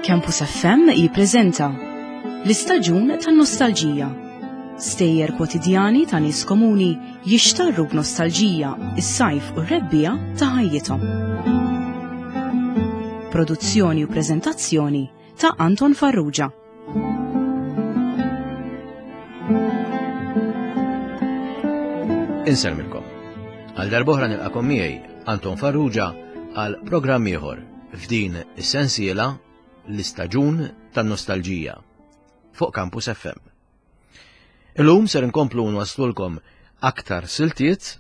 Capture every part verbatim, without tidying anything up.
Campus F M jippreżenta l-istaġun tan-nostalġija. Stejjer kwotidjani ta' nies komuni jixtarru b'nostalġija is-sajf u r-rebbiegħa ta' ħajjithom. Produzzjoni u preżentazzjoni ta' Anton Farrugia. Insellmilkom. Għal darb'oħra nilqakom miegħi Anton Farrugia għal programm ieħor f'din is-sensiela l-istaġun tan-nostalġija fuq Campus F M. Illum ser inkomplu nwaslulkom aktar siltiet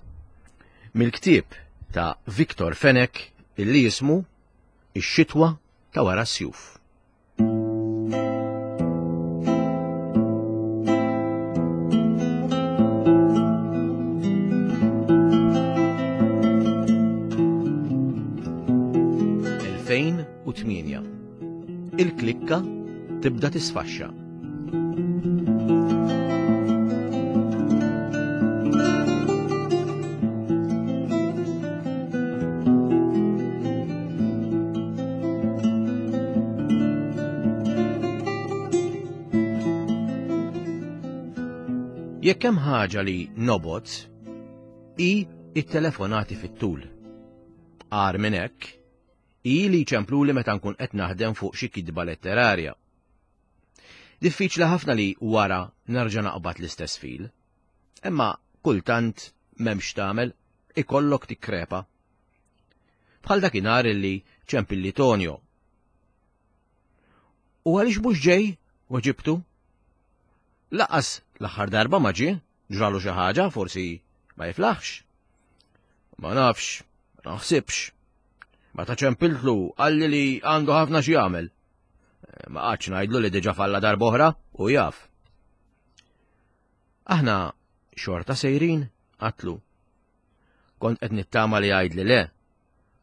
mill-ktieb ta' Victor Fenech illi jismu Ix-xitwa ta' wara s-sjuf. elfejn u tmienja. Il-klikka tibda tisfaxxa. Jekk hemm ħaġa li nobgħod, hi it-telefonati fit-tul. Agħar minn hekk, hi li jċempluli meta nkun qed naħdem fuq xi kitba letterarja. Diffiċli ħafna li wara nerġa' naqbad l-istess fil. Imma kultant m'hemmx tagħmel, ikollok tikkrepa. Bħal dakinhar illi ċempilli Tonio. U għaliex mhux ġej? Weġibtu. Laqas l-aħħar darba ma ġie, ġralu xi ħaġa, forsi ma jiflaħx. Ma nafx, ma naħsibx. Meta ċempiltlu qalli li għandu ħafna xi jagħmel. Ma qgħadx ngħidlu li diġà falla darb'oħra u jaf. Aħna xorta sejrin, qatlu. Kont qed nittama li jgħidli le,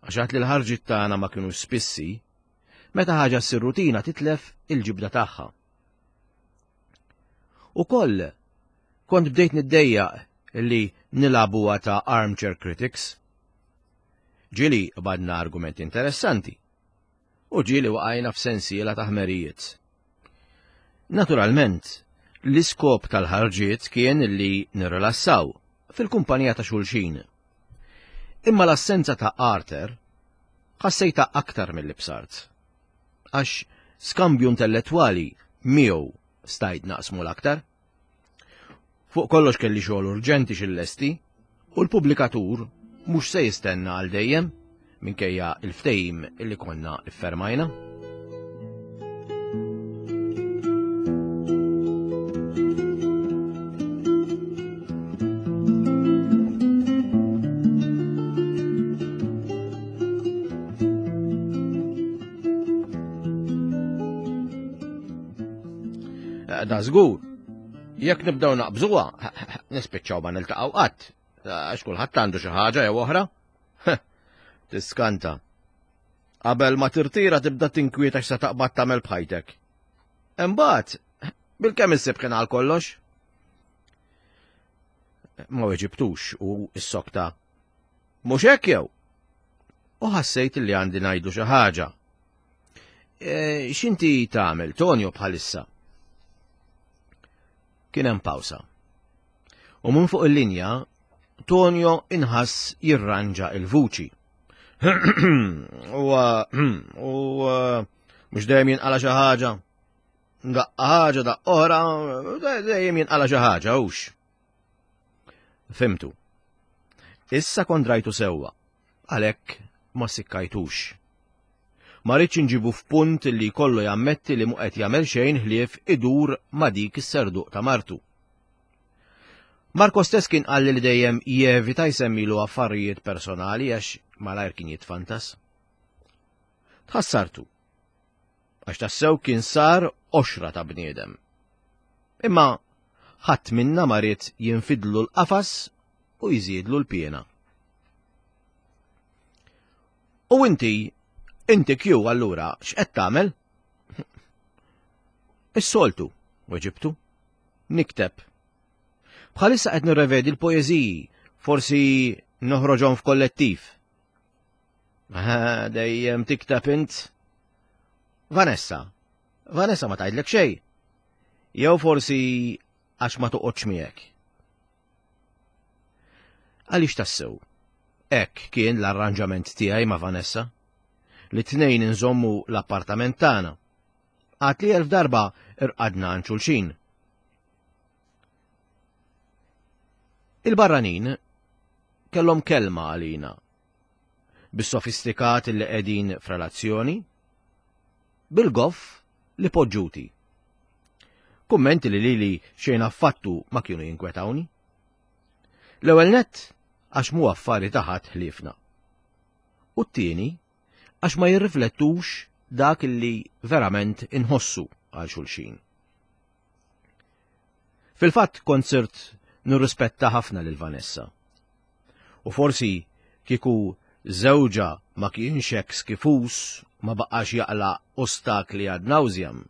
għax għad li l-ħarġiet tagħna ma kinux spissi, meta ħaġa ssir rutina titlef il-ġibda tagħha. Ukoll kont bdejt niddejjaq li nilagħbuha ta' armchair critics. Ġieli qbadna argumenti interessanti u ġieli waqajna f'sensiela ta' ħmerijiet. Naturalment, l-iskop tal-ħarġiet kien li nirrilassaw fil-kumpanija ta' xulxin. Imma l-assenza ta' Arthur ħassejta aktar mill-li bsart. Għax skambju intellettwali miegħu stajt naqsmu l-aktar. Fuq kollox kelli xogħol urġenti xil-lesti u l-pubblikatur mhux se jistenna għal dejjem minkejja il-ftehim illi konna iffermajna. Da żgur, jekk nibdew naqbżuha, nispiċċaw ma niltaqgħu qatt, għax kulħadd għandu xi ħaġa jew oħra. Tiskanta. Qabel ma tirtira tibda tinkwieta x'se taqbad tagħmel b'ħajtek. Imbagħad, bilkemm issib ħin għal kollox. Ma weġibtux u s-sokta. Mhux hekk jew? U ħassejt li għandi ngħidu xi ħaġa. E, x'inti tagħmel, Tonio, bħalissa? Kien hemm pawsa. U minn fuq il-linja, Tonio inħass jirranġa il-vuċi. U, u mhux dejjem jinqala xi ħaġa. Daqqa ħaġa, daqqa oħra, dejjem jinqala xi ħaġa, hux. Fimtu. Issa kont rajtu sewwa, għalhekk ma sikkajtux. Ma rridx inġibu f'punt li kollu jammetti li mhu qed jagħmel xejn ħlief idur ma' dik is-serduq ta' martu. Marco stess kien qalli li dejjem jevita jsemmilu affarijiet personali għax malajr kien jitfantas. Tħassartu, għax tassew kien sar oxra ta' bniedem. Imma ħadd minna ma ried jinfidlu l-qafas u jżidlu l-piena. U inti, inti kju allura x'qed tagħmel? Is-soltu, weġibtu. Nikteb. Bħalissa qed nirrevedi l-poeżiji, forsi noħroġhom f'kollettiv. Ah, dejjem tikteb int. Vanessa, Vanessa ma tgħidlek xejn. Jew forsi għax ma toqgħodx miegħek. Għaliex tassew? Hekk kien l-arranġament tiegħi ma' Vanessa. Li tnejn inżommu l-appartament tagħna. Għad li elf darba irqadna għand xulxin. Il-barranin kellhom kelma għalina. Bis-sofistikat li qegħdin f'relazzjoni, bil-goff li poġġuti. Kummenti li lili xejn affattu ma kienu jinkwetawni. L-ewwel nett għax mhu affari ta' ħadd ħliefna. U t-tieni għax ma jirriflettux dak li verament inħossu għal xulxin. Fil-fatt kont sirt nirrispetta ħafna lil Vanessa. U forsi kieku żewġha ma kienx hekk skifus ma baqax jaqla' ostakli ad nauseam,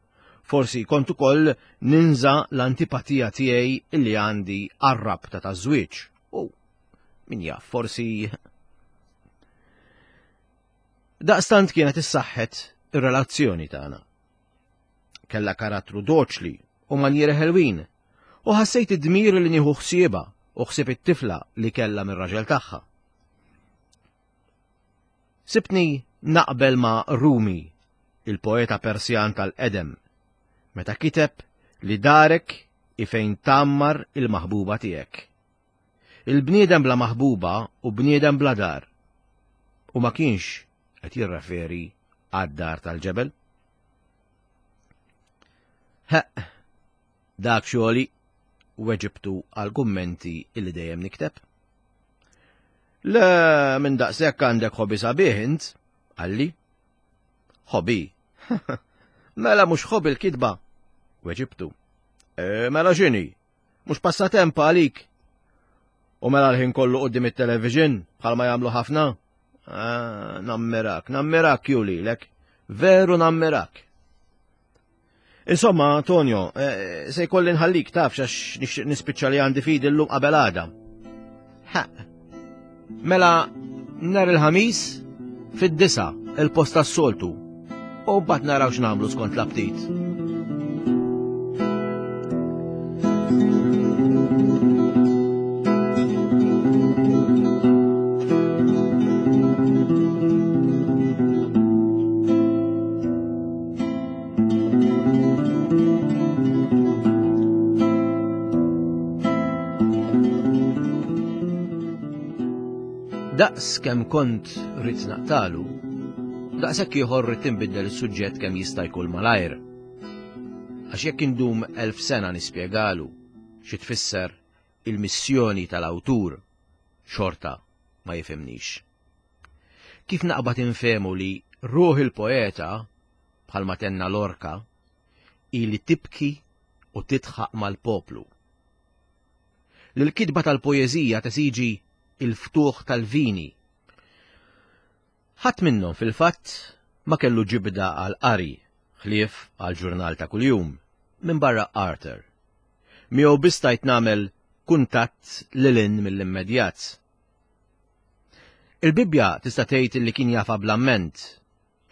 forsi kont ukoll ninża l-antipatija tiegħi illi għandi għar-rabta taż-żwieġ. U min jaf, forsi daqstant kienet issaħħet ir-relazzjoni tagħna. Kellha karattru doċli u manjieri ħelwin, u ħassejt id-dmir li nieħu ħsiebha u ħsieb it-tifla li kellha mir-raġel tagħha. Sibtni naqbel ma' Rumi, il-poeta Persjan tal-qedem, meta kiteb li darek hi fejn tgħammar il-maħbuba tiegħek. Il-bniedem bla maħbuba u bniedem bla dar. U ma kienx qed jirreferi għad-dar tal-ġebel. Ħeq, dak xogħli weġibtu għal kummenti illi dejjem nikteb. Le, minn daqshekk għandek hobby sabiħ int, qalli. Hobby? Mela mhux hobby l-kitba, weġibtu. E, mela x'inhi? Mhux passatemp għalik. U mela l-ħin kollu quddiem it-television bħalma jagħmlu ħafna? Ah, nammirak, nammirak Juli, lek. Veru nammirak. Insomma, Antonio, eh, se jkolli nħallik taf għax nixtieq nispiċċa li għandi fidi llum qabel għada. Ha. Mela nhar il-Ħamis fid-disa il-post tas-soltu. U mbagħad naraw x'nagħmlu skont l-aptit. Daqs kemm kont rrid naqtalu, daqshekk ieħor rrid inbiddel is-suġġett kemm jista' jkun malajr. Għax jekk indum elf sena nispjegalu xi tfisser il-missjoni tal-awtur, xorta ma jifhimnix. Kif naqbad infehmu li ruħ il-poeta, bħalma tenna Lorca, hi li tibki u tidħaq mal-poplu. Li l-kitba tal-poeżija tesiġi il-ftuħ tal-vini. Ħadd minnhom fil-fatt ma kellu ġibda għal qari ħlief għal ġurnal ta' kuljum minn barra Arthur. Miegħu biss stajt nagħmel kuntatt lil hinn mill-immedjat. Il-Bibbja tista' tgħid li kien jafha bl-amment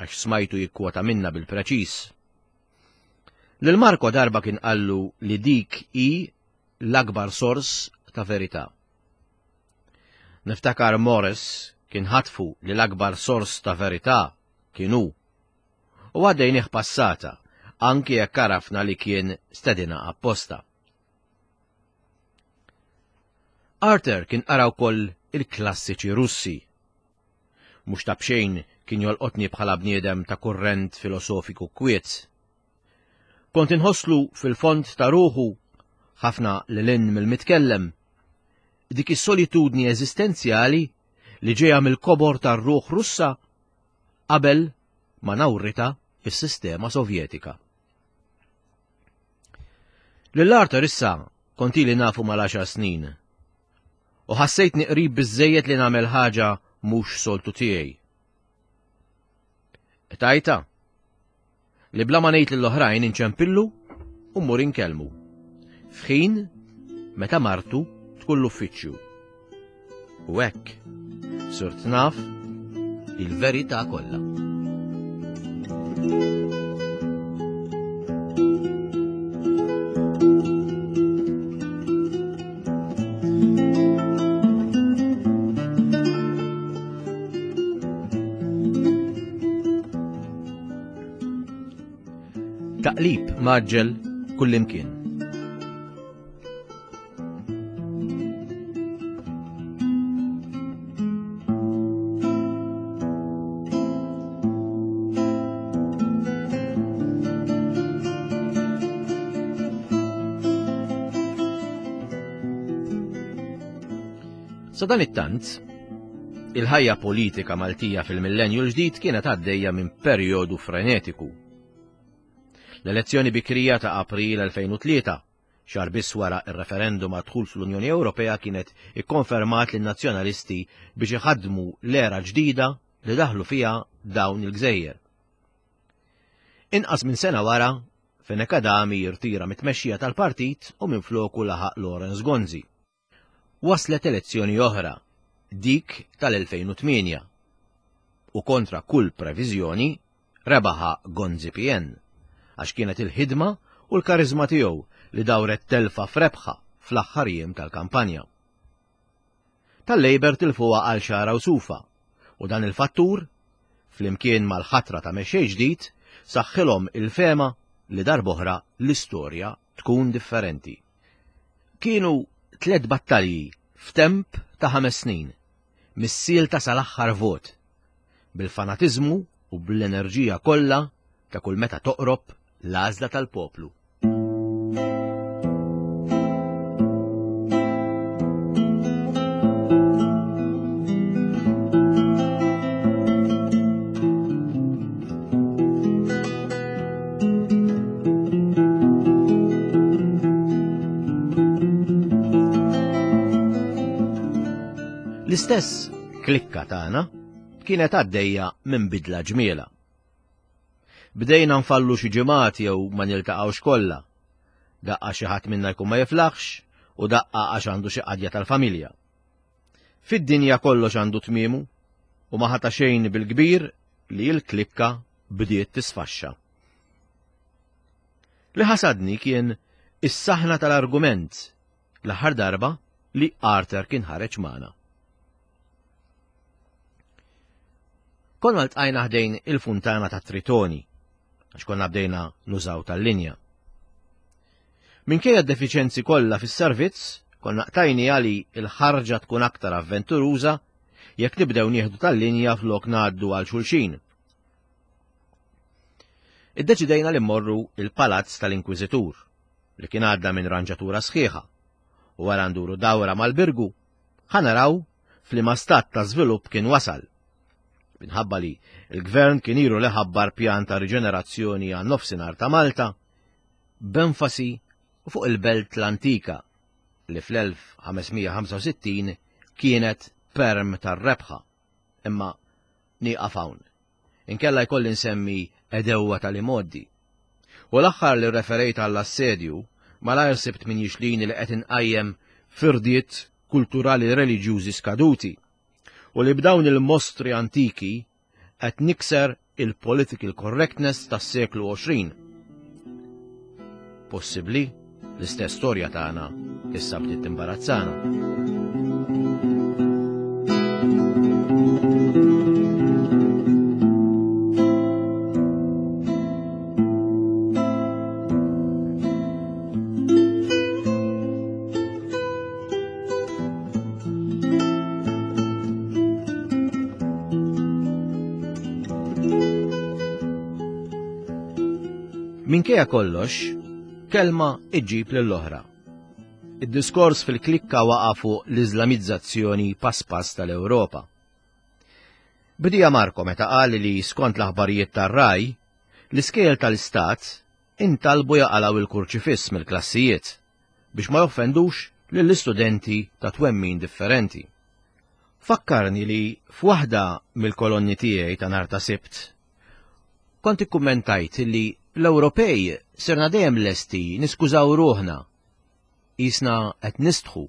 għax smajtu jikkwota minna bil-preċiż. Lil Marco darba kien qallu li dik hi l-akbar sors ta' verità. Niftakar Morris kien ħatfu li l-akbar sors ta' verità kien hu. U għaddejnih passata, anki jekk għarafna li kien stedina apposta. Arthur kien qara wkoll il-klassiċi Russi. Mhux ta' b'xejn kien jolqotni bħala bniedem ta' kurrent filosofiku kwiet. Kont inħosslu fil-fond ta' ruħu ħafna lil hinn mill-mitkellem, dik is-solitudni eżistenzjali li ġejja mill-kobor tar-ruħ Russa qabel ma nawrita is-sistema Sovjetika. Lil Arthur issa kont ili nafu mal-għaxar snin u ħassejtni qrib biżżejjed li nagħmel ħaġa mhux soltu tiegħi. Tajta li bla ma ngħid lill-oħrajn inċempillu u mmur inkellmu. F'ħin meta martu tkun l-uffiċċju. U hekk sirt naf il-verità kollha. mgħaġġel kullimkien. Sadanittant, il-ħajja politika Maltija fil-millenju l-ġdid kienet għaddejja minn perjodu frenetiku. L-elezzjoni bikrija ta' April elfejn u tlieta, xahar biss wara ir-referendum għad-dħul fl-Unjoni Ewropea, kienet ikkonfermat lin-nazzjonalisti biex iħaddmu l-era ġdida li daħlu fiha dawn il-gżejjer. Inqas minn sena wara, Fenech Adami jirtira mit-tmexxija tal-partit u minfloku laħaq Lawrence Gonzi. Waslet elezzjoni oħra, dik tal-elfejn u tmienja, u kontra kull previżjoni rebaħa Gonzi P N, għax kienet il-ħidma u l-karizma tiegħu li dawret telfa f'rebħa fl-aħħar jiem tal-kampanja. Tal-Labour tilfuha għal xara u sufa, u dan il-fattur, flimkien mal-ħatra ta' mexxej ġdid, saħħilhom il-fema li darb'oħra l-istorja tkun differenti. Kienu tliet battalji f'temp ta' ħames snin, mis-sielta sal-aħħar vot, bil-fanatiżmu u bl-enerġija kollha ta' kull meta toqrob l-għażla tal-poplu. L-istess klikka tagħna kienet għaddejja minn bidla ġmiela. Bdejna nfallu xi ġimgħat jew ma niltaqgħux kollha. Daqqa xi ħadd minna jkun ma jiflaħx u daqqa għax għandu xi qadja tal-familja. Fid-dinja kollox għandu tmiemu u ma ħata xejn bil-kbir li l-klikka bdiet tisfaxxa. Li ħasadni kien is-saħna tal-argument l-aħħar darba li Arthur kien ħareġ magħna. Konna ltqajna ħdejn il-funtana ta' Tritoni, għax konna bdejna nużaw tal-linja. Minkejja d-defiċenzi kollha fis-servizz, konna qtajni għali il-ħarġa tkun aktar avventuruża jekk nibdew nieħdu tal-linja flok ngħaddu għal xulxin. Iddeċidejna li mmorru il-Palazz tal-Inkwiżitur, li kien għadda minn ranġatura sħiħa, u wara nduru dawra mal-Birgu, ħa naraw f'liema stat ta' żvilupp kien wasal. Minħabba li l-gvern kien ilu li ħabbar pjan ta' riġenerazzjoni għan nofsinhar ta' Malta, b'enfasi fuq il-belt l-antika li fl-elf ħamesmija ħamsa u sittin kienet perm tar-rebħa. Imma nieqaf hawn. Inkella jkolli nsemmi edewwa tal-imoddi. U l-aħħar li referejt għall-assedju, malajr sibt min jixlini li qed inqajjem firdiet kulturali reliġjużi skaduti u li b'dawn il-mostri antiki qed nikser il-political correctness tas-seklu għoxrin. Possibbli l-istess storja tagħna issa bdiet timbarazzana. Minkejja kollox, kelma iġġib lill-oħra. Id-diskors fil-klikka waqa' fuq l-Iżlamizzazzjoni pass pass tal-Ewropa. Bdija Marco meta qal li skont l-aħbarijiet tar-Raj, l-iskejjel tal-Istat intalbu jaqalgħu il-kurċifiss mill-klassijiet biex ma joffendux lill-istudenti ta' twemmin differenti. Fakkarni li f'waħda mill-kolonni tiegħi ta' nhar ta' Sibt kont ikkummentajt li l-Ewropej sirna dejjem lesti niskużaw ruħna, qisna qed nistħu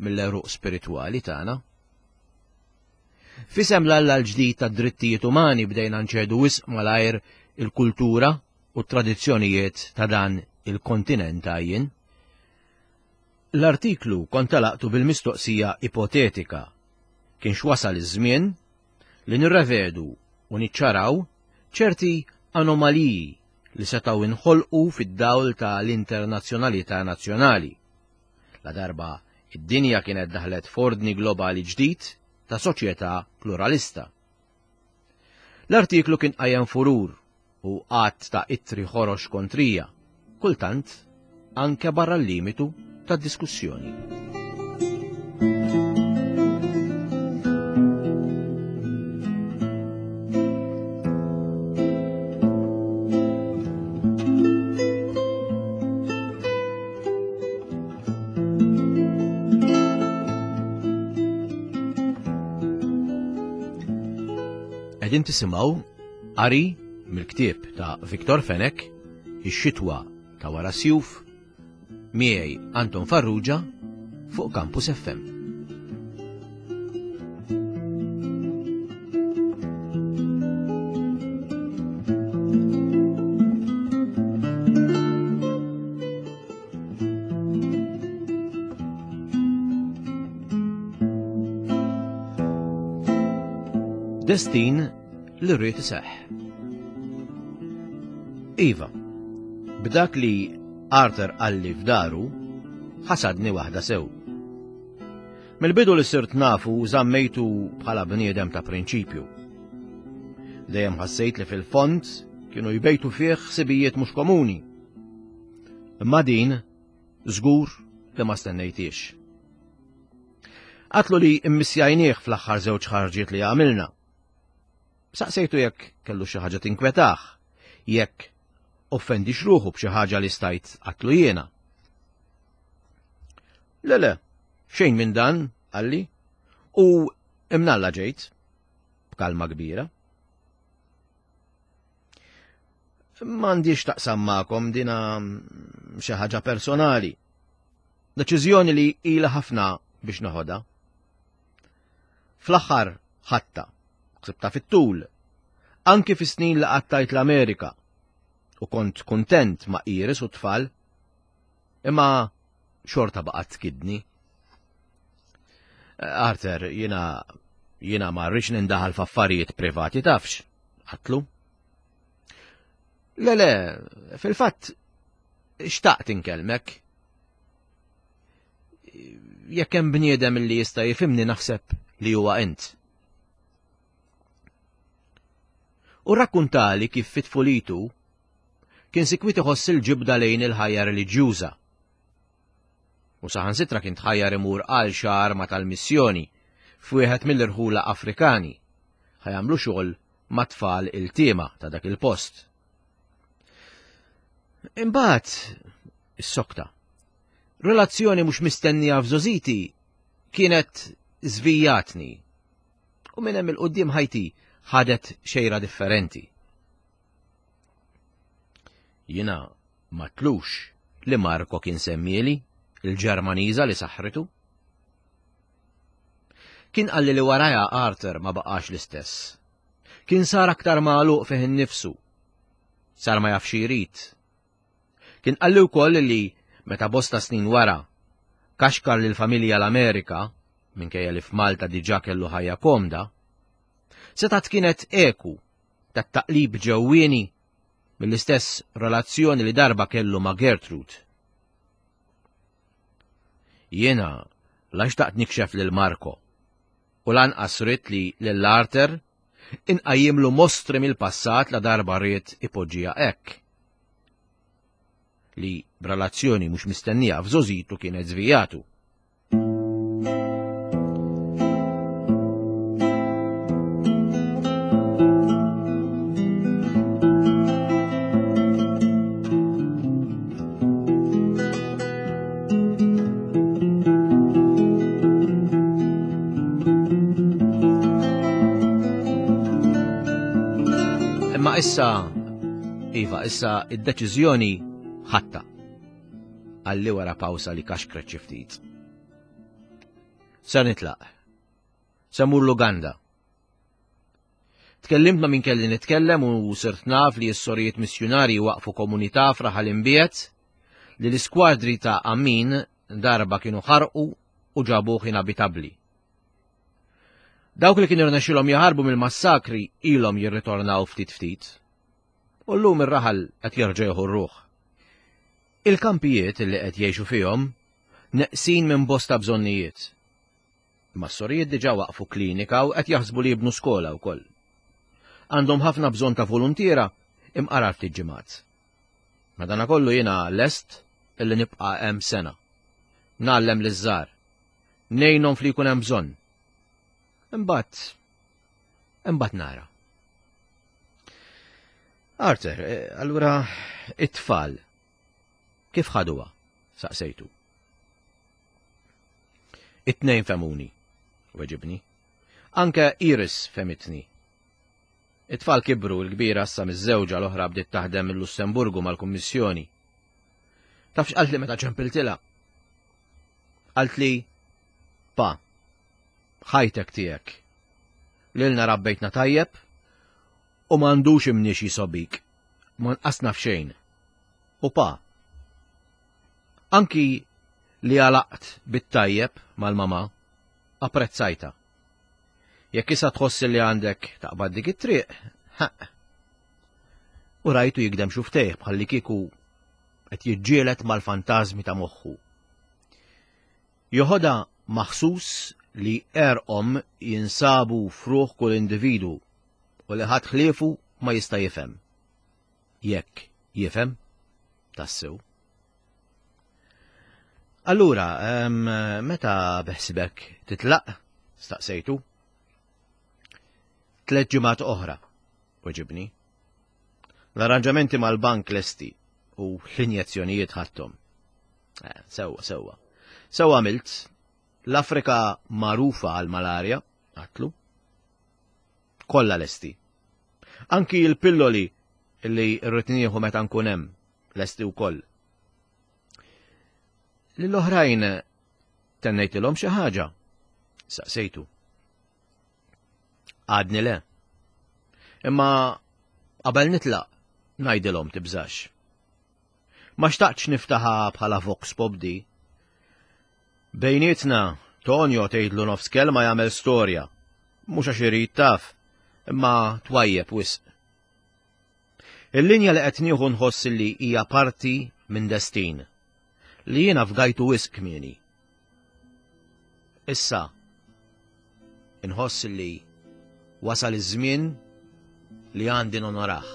mill-għeruq spiritwali tagħna. Fisem l-Alla l-ġdid tad-drittijiet umani bdejna nċedu wisq malajr il-kultura u t-tradizzjonijiet ta' dan il-kontinent għajjin. L-artiklu kont talaqtu bil-mistoqsija ipotetika kienx wasal iż-żmien li nirrevedu u niċċaraw ċerti anomaliji li setgħu inħolqu fid-dawl ta' l-internazzjonalità nazzjonali. La darba id-dinja kienet daħlet f'ordni globali ġdid ta' soċjetà pluralista. L-artiklu kien qajjem furur u għadd ta' ittri ħorox kontrija, kultant anke barra l-limitu ta' diskussjoni. Qegħdin tisimgħu qari mill-ktieb ta' Victor Fenech, Ix-xitwa ta' wara sjuf, miegħi Anton Farrugia fuq Campus F M. Destin li rrid iseħħ. Iva, b'dak li Arthur qalli f'daru, ħasadni waħda sew. Mill-bidu li sirt nafu żammejtu bħala bniedem ta' prinċipju. Dejjem ħassejt li fil-fond kienu jbejtu fih ħsibijiet mhux komuni. Imma din żgur li ma stennejtix. Qatlu li immissjajnieh fl-aħħar żewġ ħarġiet li għamilna. Saqsejtu jekk kellu xi ħaġa tinkwetah, jekk offendix ruħu b'xi ħaġa li stajt qatlu jiena. Le le, xejn minn dan, qalli, u imnalla ġejt, b'kalma kbira. M'għandix taqsam magħkom dina xi ħaġa personali. Deċiżjoni li ilha ħafna biex noħodha. Fl-aħħar ħatta, ksibta fit-tul, anki fis-snin li qattajt l-Amerika, u kont kuntent ma' Iris u tfal, imma xorta baqgħet tkidni. Arthur, jiena jiena ma rridx nindaħal f'affarijiet privati tafx, qatlu. Le le, fil-fatt xtaqt inkellmek. Jekk hemm bniedem li jista' jifhimni naħseb li huwa int. U rakkuntali kif fit-tfulitu kien sikwit iħoss il-ġibda lejn il-ħajja reliġjuża. U saħansitra kien tħajjar imur għal xahar ma' tal-missjoni f'wieħed mill-irħula Afrikani ħajamlu xogħol ma' tfal il-tiema ta' dak il-post. Imbagħad is-sokta. Relazzjoni mhux mistennija f'żożiti kienet żvijatni u minn hemm il-quddiem ħajti ħadet xejra differenti. Jiena ma tlux li Marco kien semmieli il-Ġermaniża li saħritu. Kien qalli li waraja Arthur ma baqax l-istess. Kien sar aktar magħluq fih innifsu. Sar ma jafx jrid. Kien qalli wkoll li meta bosta snin wara kaxkar lil familja l-Amerika, minkejja li f'Malta diġà kellu ħajja komda, setgħet kienet eku tat-taqlib ġewwieni mill-istess relazzjoni li darba kellu ma' Gertrude. Jiena la xtaqt nikxef lil Marco u lanqas ridt li lil Arthur inqajjimlu mostri mill-passat la darba ried ipoġġiha hekk. Li b'relazzjoni mhux mistennija f'żożitu kienet żvijatu. Imma issa, iva, issa id-deċiżjoni ħatta. Għalli wara pawsa li kaxkret xi ftit. Ser nitlaq. Se mmur l-Uganda. Tkellimt ma' min kelli nitkellem u sirt naf li s-sorijiet missjunarji waqfu komunità f'raħal imbiet li l-iskwadri ta' Amin darba kienu ħarqu u ġabuh inabitabbli. Dawk li kienu rnexxilhom jaħarbu mill-massakri ilhom jirritornaw ftit ftit. U llum ir-raħal qed jerġa' jieħu r-ruħ. Il-kampijiet li qed jgħixu fihom neqsin minn bosta bżonnijiet. Imma s-sorijiet diġà waqfu klinika u qed jaħsbu li jibnu skola wkoll. Għandhom ħafna bżonn ta' voluntiera imqar ftit ġimgħat. Madanakollu jiena lest illi nibqa' hemm sena. Ngħallem liż-żgħar. Ngħinhom fli jkun hemm bżonn. Imbagħad imbagħad nara. Arthur, eh, allura it-tfal kif ħaduha? Saqsejtu. It-tnejn fehmuni, weġibni. Anke Iris fehmitni. It-tfal kibru, l-kbira issa miżżewġa, l-oħra bdiet taħdem il-Lussemburgu mal-Kummissjoni. Taf x'qalt li meta ċempiltilha? Qalt li, pa, ħajtek tiegħek. Lilna rabbejtna tajjeb u m'għandux imniex jisobik. Ma nqasna f'xejn. U pa, anki li għalaqt bit-tajjeb mal-mama, apprezzajta. Jekk issa tħoss li għandek taqbad dik it-triq, ħaq. U rajtu jigdem xuftejh bħalli kieku qed jiġġieled mal-fantażmi ta' moħħu. Joħodha maħsus li erqom jinsabu f'ruħ kull individu u li ħadd ħliefu ma jista' jifhem. Jekk jifhem, tassew. Allura, meta beħsibek titlaq? Staqsejtu. Tliet ġimgħat oħra, weġibni. L-arranġamenti mal-bank lesti u l-injezzjonijiet ħadthom. Eh, sewwa, sewwa. Sewwa għamilt, l-Afrika magħrufa għal-malarja, għatlu. Kollha lesti. Anki l-pilloli li rrid nieħu meta nkun hemm lesti wkoll. Lill-oħrajn tennejtilhom xi ħaġa? Saqsejtu. Għadni le. Imma qabel nitlaq ngħidilhom tibżax. Ma xtaqtx niftaħa bħala vox pop di. Bejnietna, Tonio tgħidlu nofs kelma jagħmel storja. Mhux għax irid taf, imma twajjeb wisq. Il-linja li qed nieħu nħoss li hija parti minn destin li jiena fgajtu wisq kmieni. Issa inħoss li wasal iż-żmien li għandi nonorah.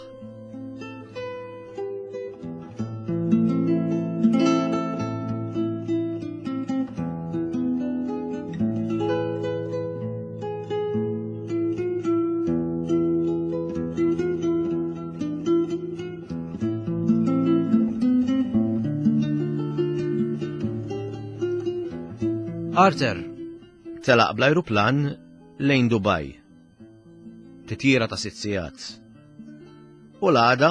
Arthur telaq bl-ajruplan lejn Dubai. Titjira ta' sitt sigħat. U l-għada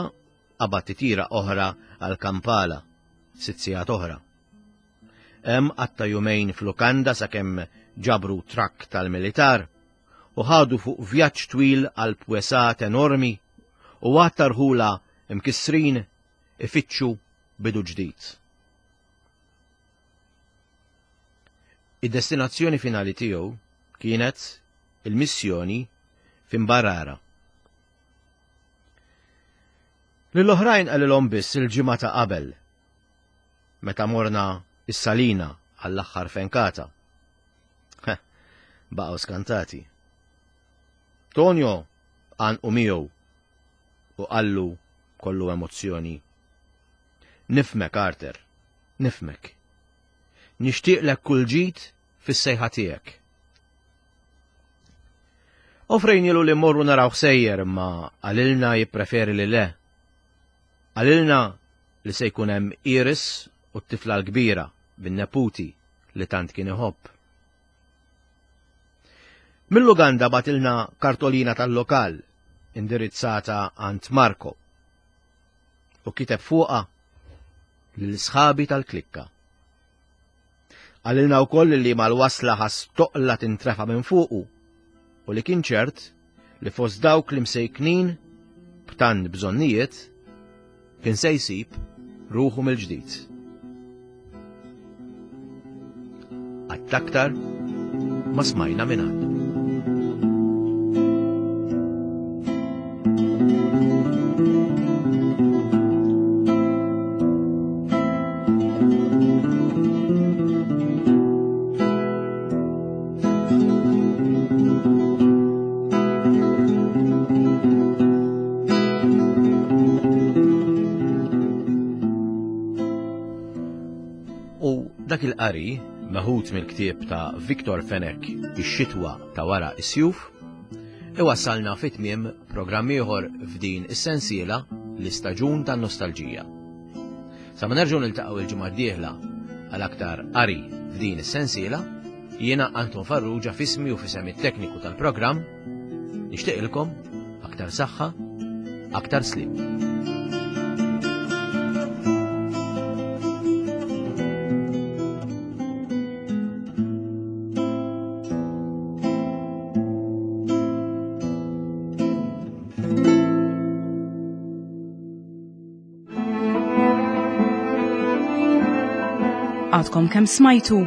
qabad titjira oħra għal Kampala, sitt sigħat oħra. Hemm qatta' jumejn f'lukanda sakemm ġabru trakk tal-militar u ħadu fuq vjaġġ twil għal pwesat enormi u għadd rħula imkissrin ifittxu bidu ġdid. Id-destinazzjoni finali tiegħu kienet il-missjoni f'Imbarara. Lill-oħrajn qalilhom biss il-ġimgħa ta' qabel, meta morna is-Salina għall-aħħar fenkata. Baqgħu skantati. Tonio għanqu miegħu u qallu kollu emozzjoni. Nifhmek, Arthur, nifhmek. Nixtieqlek kull ġid fis-sejħa tiegħek. Offrejnilu li morru naraw sejjer imma qalilna jippreferi li le. Qalilna li se jkun hemm Iris u t-tifla l-kbira bin-neputi li tant kien iħobb. Mill-Uganda bagħtilna kartolina tal-lokal indirizzata għand Marco u kiteb fuqha lil sħabi tal-klikka. Qalilna wkoll li mal-wasla ħass toqla tintrefa minn fuqu u li kien ċert li fost dawk li msejknin b'tant bżonnijiet kien se jsib ruħu mill-ġdid. Qatt aktar ma smajna minn għandu. Dak il-qari, meħud mill-ktieb ta' Victor Fenech Ix-xitwa ta' wara is-sjuf, iwassalna fi tmiem programm ieħor f'din is-sensiela l-istaġun tan-nostalġija. Sa ma nerġgħu niltaqgħu il-ġimgħa d-dieħla għal aktar qari f'din is-sensiela, jiena Anton Farrugia f'ismi u f'isem it-tekniku tal-programm nixtieqilkom aktar saħħa, aktar slim. Għadkom kemm smajtu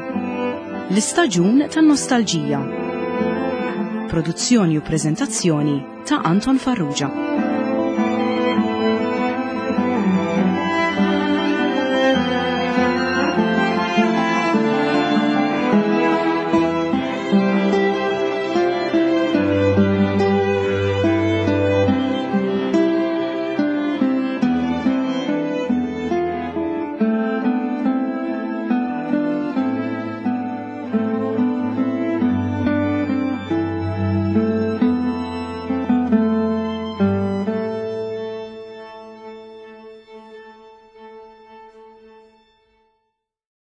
l-istaġun tan-nostalġija. Produzzjoni u preżentazzjoni ta' Anton Farrugia.